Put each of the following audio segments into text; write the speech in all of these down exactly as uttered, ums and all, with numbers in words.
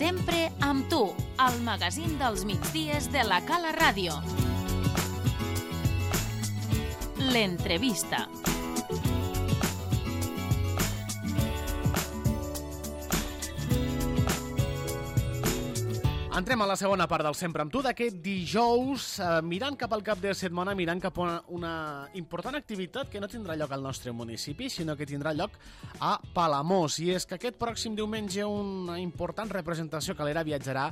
Sempre amb tu, al magazín dels migdies de la Cala Ràdio. L'entrevista. Entrem a la segona part del Sempre amb tu d'aquest dijous, eh, mirant cap al cap de setmana, mirant cap a una, una important activitat que no tindrà lloc al nostre municipi, sinó que tindrà lloc a Palamós. I és que aquest pròxim diumenge una important representació calera viatjarà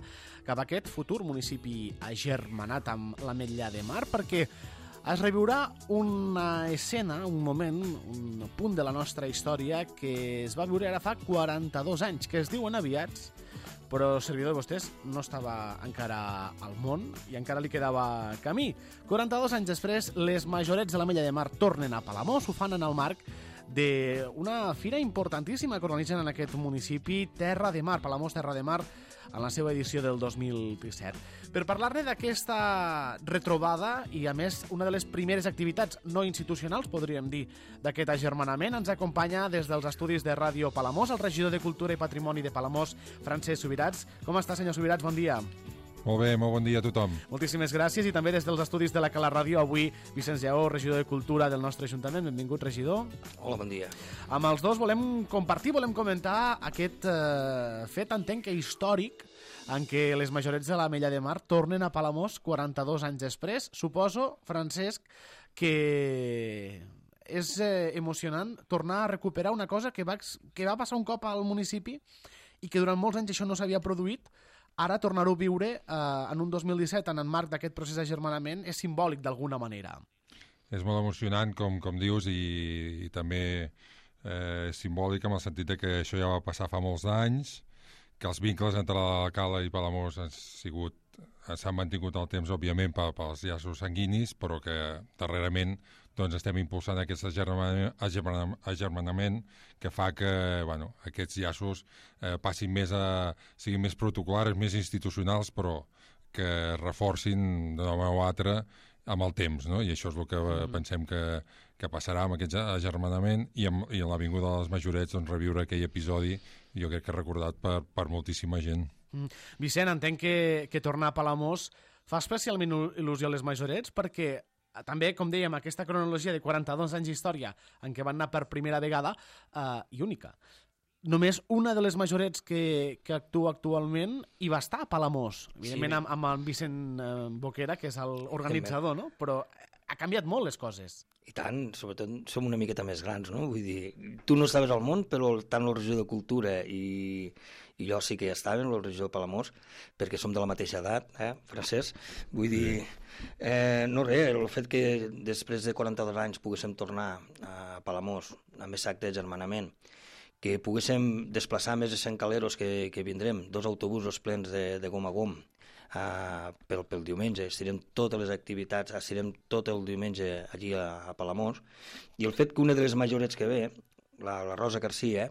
cap a aquest futur municipi agermanat amb l'Ametlla de Mar, perquè es reviurà una escena, un moment, un punt de la nostra història que es va viure ara fa quaranta-dos anys, que es diuen aviats, però el servidor de vostès no estava encara al món i encara li quedava camí. quaranta-dos anys després, les majorets de l'Ametlla de Mar tornen a Palamós, ho fan en el marc d'una fira importantíssima que organitzen en aquest municipi, Terra de Mar, Palamós Terra de Mar, en la seva edició del dos mil disset. Per parlar-ne d'aquesta retrobada i, a més, una de les primeres activitats no institucionals, podríem dir, d'aquest agermanament, ens acompanya des dels estudis de Ràdio Palamós el regidor de Cultura i Patrimoni de Palamós, Francesc Subirats. Com està, senyor Subirats? Bon dia. Molt bé, molt bon dia a tothom. Moltíssimes gràcies, i també des dels estudis de la Cala Ràdio, avui Vicenç Lleó, regidor de Cultura del nostre Ajuntament. Benvingut, regidor. Hola, bon dia. Amb els dos volem compartir, volem comentar aquest eh, fet, entenc que històric, en què les majorets de l'Ametlla de Mar tornen a Palamós quaranta-dos anys després. Suposo, Francesc, que és eh, emocionant tornar a recuperar una cosa que va, que va passar un cop al municipi i que durant molts anys això no s'havia produït. Ara tornar-ho a viure eh, en un dos mil disset en el marc d'aquest procés d'agermanament és simbòlic d'alguna manera. És molt emocionant, com, com dius, i, i també eh, simbòlic en el sentit de que això ja va passar fa molts anys, que els vincles entre la Cala i Palamós han sigut s'han mantingut el temps, òbviament, pels llaços sanguinis, però que darrerament doncs, estem impulsant aquest agermanament, agermanament que fa que bueno, aquests llaços eh, passin més a, siguin més protocolars, més institucionals, però que reforcin d'una manera o altra amb el temps, no? I això és el que mm. pensem que, que passarà amb aquest agermanament i amb, i amb l'avinguda de les majorets, doncs, reviure aquell episodi, jo crec que recordat per, per moltíssima gent. Mm. Vicent, entenc que, que tornar a Palamós fa especialment il·lusió a les majorets perquè també, com dèiem, aquesta cronologia de quaranta-dos anys d'història en què van anar per primera vegada eh, i única. Només una de les majorets que, que actua actualment hi va estar a Palamós, evidentment sí. amb, amb el Vicent eh, Boquera, que és l'organitzador, no? Però ha canviat molt les coses. I tant, sobretot som una miqueta més grans, no? Vull dir, tu no estaves al món, però tant el regidor de Cultura i, i jo sí que ja estàvem, el regidor de Palamós, perquè som de la mateixa edat, eh, Francesc? Vull dir, eh, no res, el fet que després de quaranta-dos anys poguéssim tornar a Palamós amb aquest acte d'agermanament, que poguéssim desplaçar més de cent caleros que, que vindrem, dos autobusos plens de, de gom a gom, Uh, pel, pel diumenge, estirem totes les activitats, estirem tot el diumenge allí a, a Palamós, i el fet que una de les majorets que ve, la, la Rosa Garcia,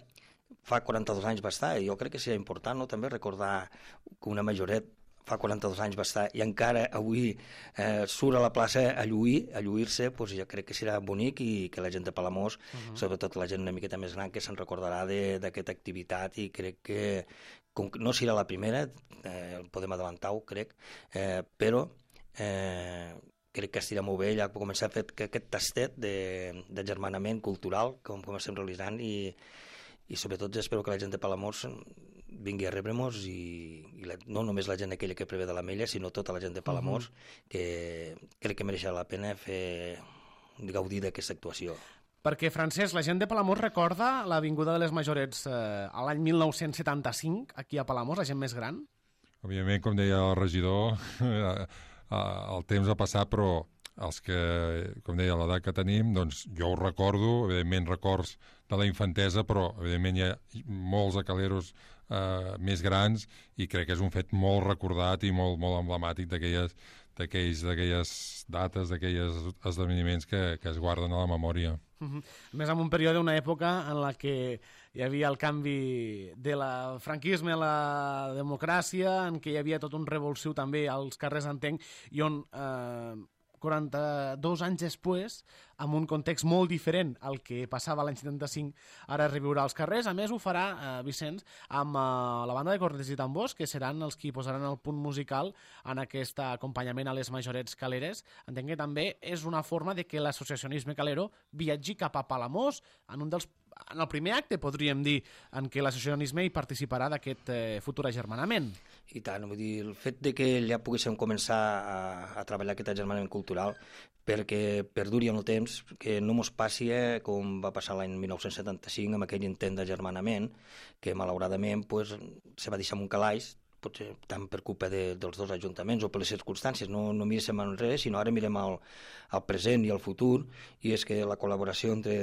fa quaranta-dos anys va estar, i jo crec que seria important, no?, també recordar que una majoret fa quaranta-dos anys va estar i encara avui eh, surt a la plaça a lluir, a lluir-se, doncs jo crec que serà bonic i que la gent de Palamós, uh-huh. sobretot la gent una miqueta més gran, que se'n recordarà d'aquesta activitat, i crec que com que no serà la primera, eh, podem adelantar-ho, crec, eh, però eh, crec que estirà molt bé ja començar a fer aquest tastet d'agermanament cultural com, com estem realitzant, i, i sobretot espero que la gent de Palamós vingui a rebre-nos, i, i la, no només la gent aquella que prevé de l'Ametlla, sinó tota la gent de Palamós, uh-huh. que crec que mereixerà la pena fer gaudir d'aquesta actuació. Perquè, Francesc, la gent de Palamós recorda l'avinguda de les majorets eh, a l'any mil nou-cents setanta-cinc, aquí a Palamós, la gent més gran? Òbviament, com deia el regidor, el temps ha passat, però els que, com deia, l'edat que tenim, doncs jo ho recordo, evidentment records de la infantesa, però evidentment hi ha molts acaleros eh, més grans, i crec que és un fet molt recordat i molt, molt emblemàtic d'aquelles d'aquelles dates, d'aquells esdeveniments que, que es guarden a la memòria. Uh-huh. Més en un període, una època en la que hi havia el canvi de la franquisme a la democràcia, en què hi havia tot un revulsiu també als carrers, entenc, i on eh, quaranta-dos anys després, amb un context molt diferent al que passava l'any setanta-cinc, ara es reviurà als carrers. A més, ho farà, eh, Vicenç, amb eh, la banda de cornets i tambors, que seran els qui posaran el punt musical en aquest acompanyament a les majorets caleres. Entenc que també és una forma de que l'associacionisme calero viatgi cap a Palamós, en un dels en el primer acte, podríem dir, en què l'associacionisme hi participarà d'aquest eh, futur agermanament. I tant, vull dir, el fet de que ja poguéssim començar a, a treballar aquest agermanament cultural perquè perduri en el temps, que no mos passi eh, com va passar l'any mil nou-cents setanta-cinc amb aquell intent d'agermanament, que malauradament pues, se va deixar en un calaix, potser tant per culpa de, dels dos ajuntaments o per les circumstàncies. No, no mirem enrere, sinó ara mirem al, al present i al futur, i és que la col·laboració entre,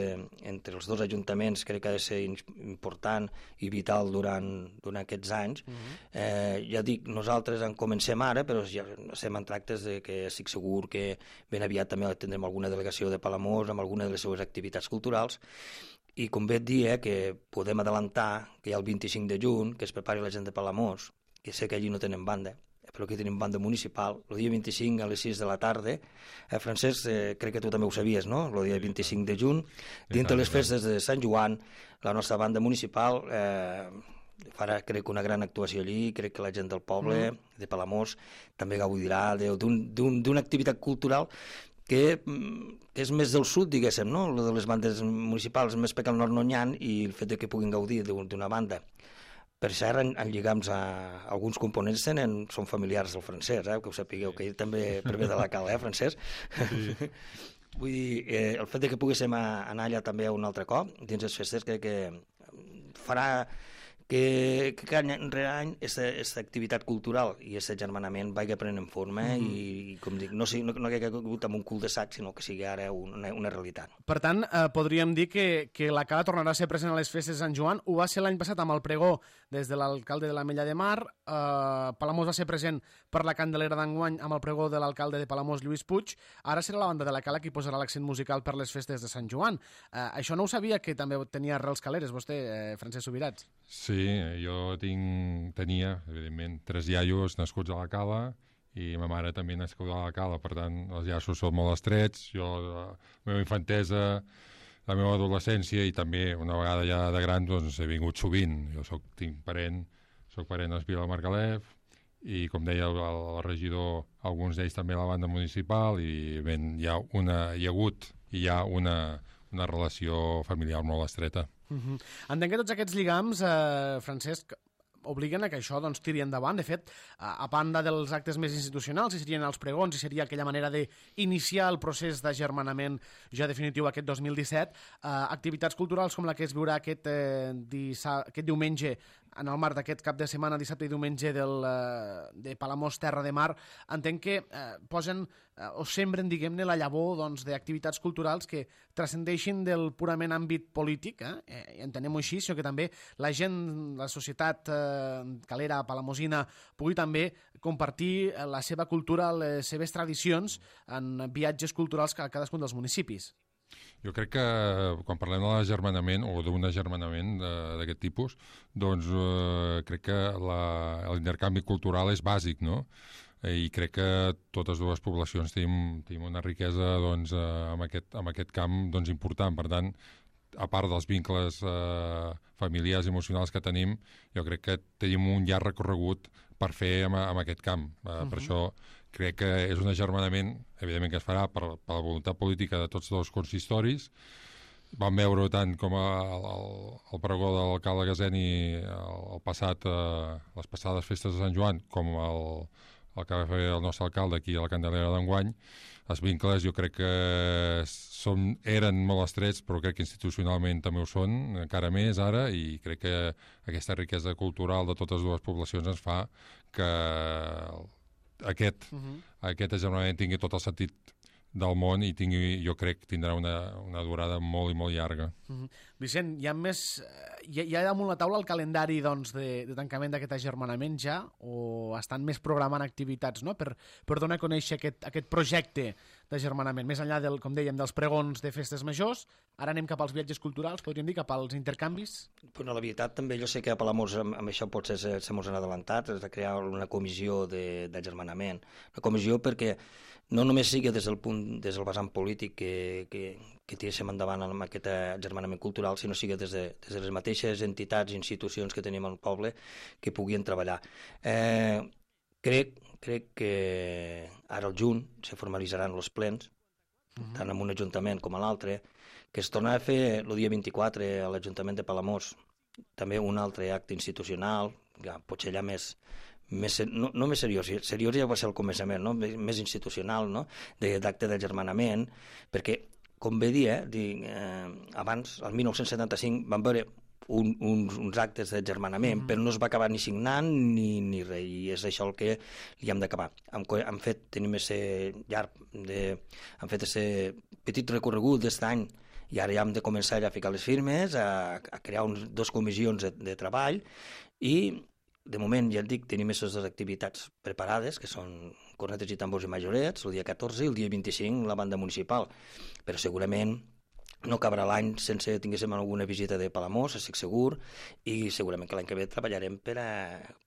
entre els dos ajuntaments crec que ha de ser important i vital durant, durant aquests anys. Uh-huh. eh, ja dic, nosaltres en comencem ara, però ja estem en tractes de que estic segur que ben aviat també tindrem alguna delegació de Palamós amb alguna de les seves activitats culturals. I com bé et dia, que podem adelantar que hi ha el vint-i-cinc de juny, que es prepari la gent de Palamós, que sé que allí no tenen banda, però aquí tenim banda municipal, el dia vint-i-cinc a les sis de la tarda. Eh, Francesc, eh, crec que tu també ho sabies, no? El dia vint-i-cinc de juny, dintre les festes de Sant Joan, la nostra banda municipal eh, farà, crec, una gran actuació allí. Crec que la gent del poble, mm. de Palamós, també gaudirà d'una activitat cultural que, que és més del sud, diguéssim, no? El de les bandes municipals, més perquè al nord no n'hi ha, i el fet de que puguin gaudir d'una banda. Per cert, en, en lligams a alguns components tenen, són familiars del Francesc, eh? Que ho sapigueu, que ell també prové de la Cala, eh, Francesc? Sí. Vull dir, eh, el fet de que poguéssim anar allà també un altre cop, dins les festes, crec que farà que, que any rere any aquesta activitat cultural i aquest agermanament vagi prenent forma mm-hmm. i, com dic, no, no, no que hagi hagut amb un cul de sac, sinó que sigui ara una, una realitat. Per tant, eh, podríem dir que, que la Cala tornarà a ser present a les festes de Sant Joan. Ho va ser l'any passat amb el pregó des de l'alcalde de l'Ametlla de Mar. Eh, Palamós va ser present per la Candelera d'enguany amb el pregó de l'alcalde de Palamós, Lluís Puig. Ara serà la banda de la Cala qui posarà l'accent musical per les festes de Sant Joan. Eh, això no ho sabia, que també tenia arrels caleres, vostè, eh, Francesc Subirats. Sí, jo tinc, tenia, evidentment, tres iaios nascuts a la Cala i ma mare també nascuda a la Cala, per tant, els llaços són molt estrets. Jo, la meva infantesa, la meva adolescència i també, una vegada ja de gran, doncs he vingut sovint. Jo soc, tinc parent, soc parent d'Espí del Margalef i, com deia el, el regidor, alguns d'ells també a la banda municipal i ben, hi ha, una, hi ha hagut i hi ha una, una relació familiar molt estreta. Uh-huh. Entenc que tots aquests lligams, eh, Francesc, obliguen a que això doncs, tiri endavant. De fet, a, a banda dels actes més institucionals, i serien els pregons, i seria aquella manera d'iniciar el procés d'agermanament ja definitiu aquest dos mil disset, eh, activitats culturals com la que es viurà aquest, eh, dissa, aquest diumenge en el marc d'aquest cap de setmana, dissabte i diumenge del, eh, de Palamós Terra de Mar, entenc que eh, posen eh, o sembren, diguem-ne, la llavor doncs, d'activitats culturals que transcendeixin del purament àmbit polític, eh? eh entenem-ho així, sinó que també la gent, la societat eh, calera, palamosina, pugui també compartir la seva cultura, les seves tradicions en viatges culturals a cadascun dels municipis. Jo crec que quan parlem de l'agermanament o d'un agermanament d'aquest tipus, doncs eh, crec que l'intercanvi cultural és bàsic, no? I crec que totes dues poblacions tenim, tenim una riquesa doncs, eh, en, aquest, en aquest camp doncs, important. Per tant, a part dels vincles eh, familiars i emocionals que tenim, jo crec que tenim un llarg recorregut per fer en, en aquest camp. Eh, uh-huh. Per això crec que és un agermanament, evidentment que es farà per, per la voluntat política de tots dos consistoris. Vam veure tant com el, el, el pregó de l'alcalde Gaseni el, el passat, eh, les passades festes de Sant Joan, com el, el que va fer el nostre alcalde aquí a la Candelera d'enguany. Els vincles jo crec que són, eren molt estrets, però crec que institucionalment també ho són, encara més ara, i crec que aquesta riquesa cultural de totes dues poblacions ens fa que aquest, uh-huh. aquest agermanament tingui tot el sentit del món i tingui, jo crec tindrà una, una durada molt i molt llarga. Uh-huh. Vicent, hi ha més... Hi ha, hi ha damunt la taula el calendari doncs, de, de tancament d'aquest agermanament ja, o estan més programant activitats, no?, per, per donar a conèixer aquest, aquest projecte d'agermanament? Més enllà, del, com dèiem, dels pregons de festes majors, ara anem cap als viatges culturals, podríem dir, cap als intercanvis? Bueno, la veritat, també jo sé que a Palamós amb, amb això potser se, se mos han adelantat, és de crear una comissió d'agermanament. Una comissió perquè no només sigui des del punt, des del vessant polític que, que, que tiréssim endavant amb aquest agermanament cultural, sinó sigui des de, des de les mateixes entitats i institucions que tenim al poble que puguin treballar. Eh, crec, crec que ara al juny se formalitzaran els plens, uh-huh. tant en un ajuntament com a l'altre, que es tornarà a fer el dia vint-i-quatre a l'Ajuntament de Palamós, també un altre acte institucional, ja, potser ja més, més no, no més seriós, seriós ja va ser el començament, no? més, més institucional, no? d'acte d'agermanament, perquè, com bé dir, eh, dir eh, abans, el dinou setanta-cinc, van veure un, uns, uns actes d'agermanament, mm. però no es va acabar ni signant ni, ni res, i és això el que li hem d'acabar. Hem, hem fet, tenim aquest llarg, de, hem fet aquest petit recorregut d'aquest any, i ara ja hem de començar ja a ficar les firmes, a, a crear uns, dos comissions de, de treball, i de moment, ja et dic, tenim aquestes dues activitats preparades, que són cornetes i tambors i majorets, el dia catorze i el dia vint-i-cinc la banda municipal, però segurament no acabarà l'any sense tinguéssim alguna visita de Palamós, estic segur, i segurament que l'any que ve treballarem per a,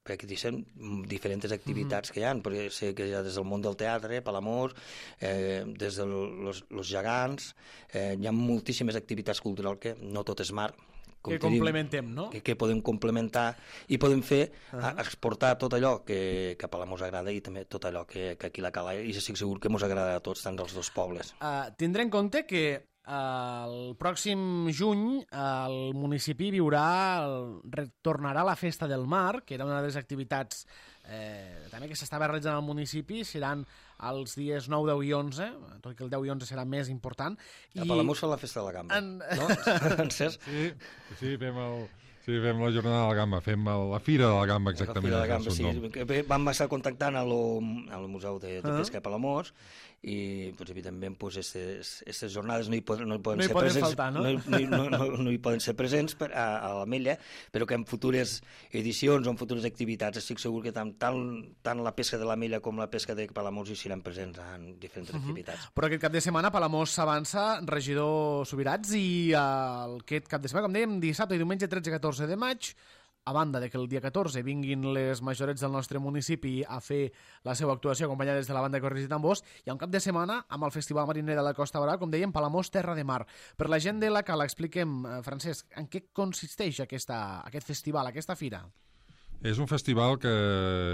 per a que diguem diferents activitats mm-hmm. que hi ha, perquè sé que ja des del món del teatre, Palamós, eh, des dels los, los gegants, eh, hi ha moltíssimes activitats culturals que no tot és mar, que complementem, no? Que, que podem complementar i podem fer, uh -huh. a, exportar tot allò que, que a Palamós agrada i també tot allò que, que aquí la Cala, i estic segur que mos agrada a tots, tant dels dos pobles. Uh, tindré en compte que el pròxim juny el municipi viurà, el, retornarà a la Festa del Mar, que era una de les activitats eh, també que s'estava realitzant al municipi, seran els dies nou, deu i onze, tot i que el deu i onze serà més important. I... A Palamós fa la Festa de la Gamba, en... no? Encès? Sí, sí, fem el... Sí, fem la jornada de la Gamba, fem la Fira de la Gamba, exactament. La Fira de la Gamba, sí. Vam estar contactant a lo, al Museu de, de Pesca de Palamós, i pues, evidentment aquestes jornades no hi poden, no hi poden no hi ser poden presents, faltar, no? No, no, no, no, no hi poden ser presents per, a, a l'Ametlla, però que en futures edicions o en futures activitats estic segur que tant, tant, tant la pesca de l'Ametlla com la pesca de Palamós hi seran presents en diferents uh-huh. activitats. Però aquest cap de setmana Palamós s'avança, regidor Subirats, i el, aquest cap de setmana, com dèiem, dissabte i diumenge tretze i catorze de maig, a banda de que el dia catorze vinguin les majorets del nostre municipi a fer la seva actuació acompanyades de la banda de cornets i tambors, hi ha un cap de setmana amb el Festival Mariner de la Costa Brava, com dèiem, Palamós, Terra de Mar. Per la gent de la Cala, expliquem, Francesc, en què consisteix aquesta, aquest festival, aquesta fira? És un festival que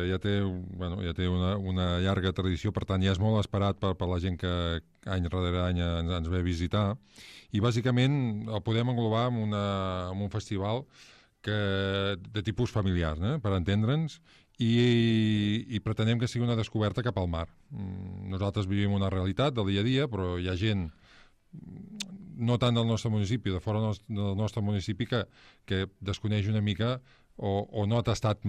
ja té, bueno, ja té una, una llarga tradició, per tant ja és molt esperat per, per la gent que any rere any ens, ens ve a visitar, i bàsicament el podem englobar en, una, en un festival que, de tipus familiar, eh, per entendre'ns, i, i pretenem que sigui una descoberta cap al mar. Nosaltres vivim una realitat del dia a dia, però hi ha gent, no tant del nostre municipi, de fora del nostre municipi, que, que desconeix una mica o, o no ha tastat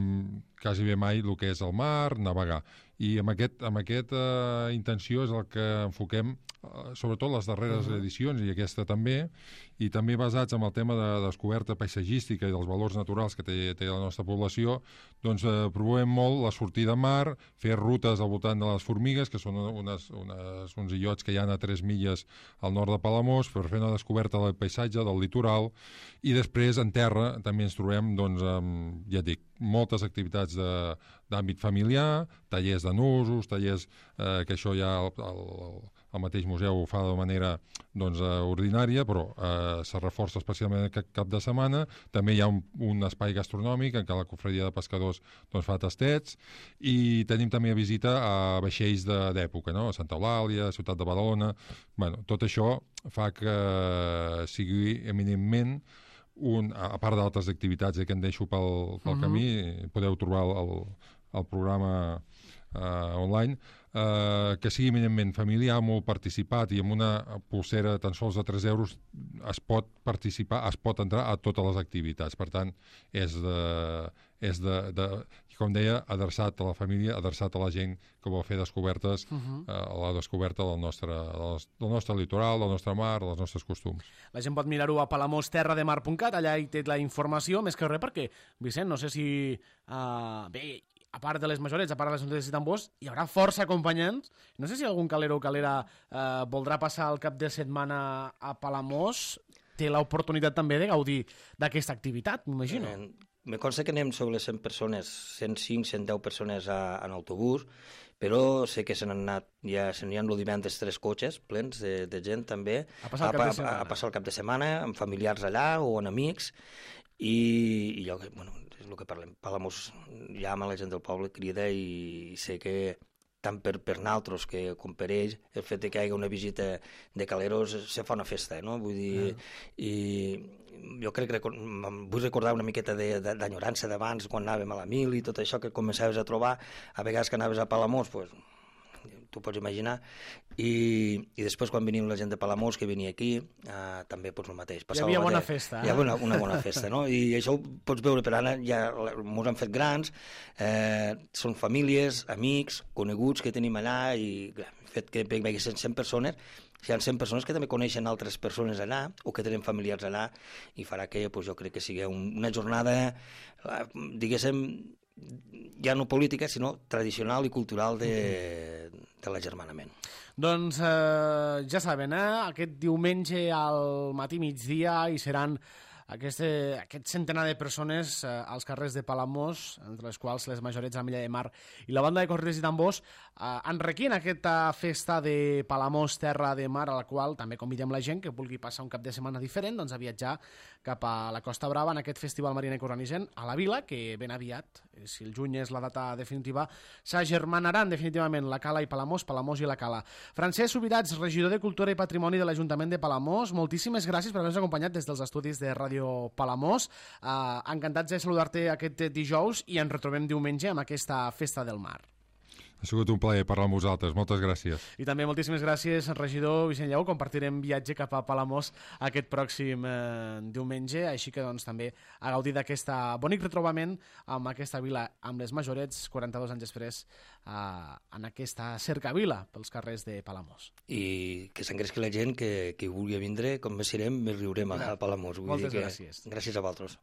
quasi bé mai el que és el mar, navegar. I amb aquesta amb aquest, uh, intenció és el que enfoquem, uh, sobretot les darreres uh-huh. edicions, i aquesta també, i també basats en el tema de descoberta paisatgística i dels valors naturals que té, té la nostra població, doncs uh, promovem molt la sortida a mar, fer rutes al voltant de les Formigues, que són unes, unes, uns illots que hi ha a tres milles al nord de Palamós, per fer una descoberta del paisatge, del litoral, i després en terra també ens trobem, doncs, amb, ja dic, moltes activitats d'àmbit familiar, tallers de nusos, tallers eh, que això ja el, el, el mateix museu ho fa de manera doncs, eh, ordinària, però eh, se reforça especialment aquest cap de setmana. També hi ha un, un espai gastronòmic en què la cofredia de pescadors doncs, fa tastets, i tenim també a visita a vaixells d'època, no? A Santa Eulàlia, a Ciutat de Badalona. Bueno, tot això fa que sigui eminentment un, a part d'altres activitats eh, que en deixo pel, pel uh-huh. camí, podeu trobar el, el, el programa uh, online, uh, que sigui eminentment familiar, molt participat, i amb una pulsera tan sols de tres euros es pot participar, es pot entrar a totes les activitats. Per tant, és de, és de, de com deia, adreçat a la família, adreçat a la gent que vol fer descobertes, uh-huh. uh, a la descoberta del nostre, del nostre litoral, del nostre mar, dels nostres costums. La gent pot mirar-ho a palamós terra de mar punt cat, allà hi té la informació, més que res perquè, Vicent, no sé si... Uh, bé, a part de les majorets, a part de les notes de tambors, hi haurà força acompanyants. No sé si algun calero o calera eh, voldrà passar el cap de setmana a Palamós, té l'oportunitat també de gaudir d'aquesta activitat, m'imagino. Eh, me consta que anem sobre les cent persones, cent cinc, cent deu persones a, en autobús, però sé que se n'han anat, ja se n'hi han el divendres tres cotxes plens de, de gent també, a passar el cap de setmana, a, a passar el cap de setmana amb familiars allà o amb amics, i, i jo, bueno, és el que parlem, Palamós llama la gent del poble, crida, i, i sé que tant per, per nosaltres que com per ells, el fet de que hi hagi una visita de caleros se fa una festa, no? Vull dir, ah. i jo crec que vull recordar una miqueta d'enyorança d'abans, quan anàvem a la mil i tot això que començaves a trobar, a vegades que anaves a Palamós, pues, tu pots imaginar, i, i després quan venim la gent de Palamós que venia aquí, eh, també pues, el mateix. Passava hi havia bona festa. Eh? Hi havia una, una bona festa, no? I això ho pots veure, per ara ja ens han fet grans, eh, són famílies, amics, coneguts que tenim allà, i el fet que vinguessin cent persones, hi ha cent persones que també coneixen altres persones allà, o que tenen familiars allà, i farà que pues, jo crec que sigui una jornada, diguéssim, ja no política, sinó tradicional i cultural de, de l'agermanament. Doncs eh, ja saben, eh? Aquest diumenge al matí migdia hi seran aquest, aquest centenar de persones eh, als carrers de Palamós, entre les quals les majorets Ametlla de Mar i la banda de corredors i tambors eh, enriquint aquesta festa de Palamós, Terra de Mar, a la qual també convidem la gent que vulgui passar un cap de setmana diferent doncs, a viatjar cap a la Costa Brava en aquest festival mariner coranigen a la Vila, que ben aviat, si el juny és la data definitiva, s'agermanaran definitivament la Cala i Palamós, Palamós i la Cala. Francesc Subirats, regidor de Cultura i Patrimoni de l'Ajuntament de Palamós, moltíssimes gràcies per haver-nos acompanyat des dels estudis de Ràdio Palamós. Uh, encantats de saludar-te aquest dijous i ens retrobem diumenge amb aquesta festa del mar. Ha sigut un plaer parlar amb vosaltres, moltes gràcies. I també moltíssimes gràcies, regidor Vicent Lleó, compartirem viatge cap a Palamós aquest pròxim eh, diumenge, així que doncs també a gaudir d'aquest bonic retrobament amb aquesta vila, amb les majorets, quaranta-dos anys després, eh, en aquesta cercavila pels carrers de Palamós. I que s'engresqui la gent, que, que vulgui vindre, com més serem, més riurem a Palamós. Vull moltes dir que gràcies. Gràcies a vosaltres.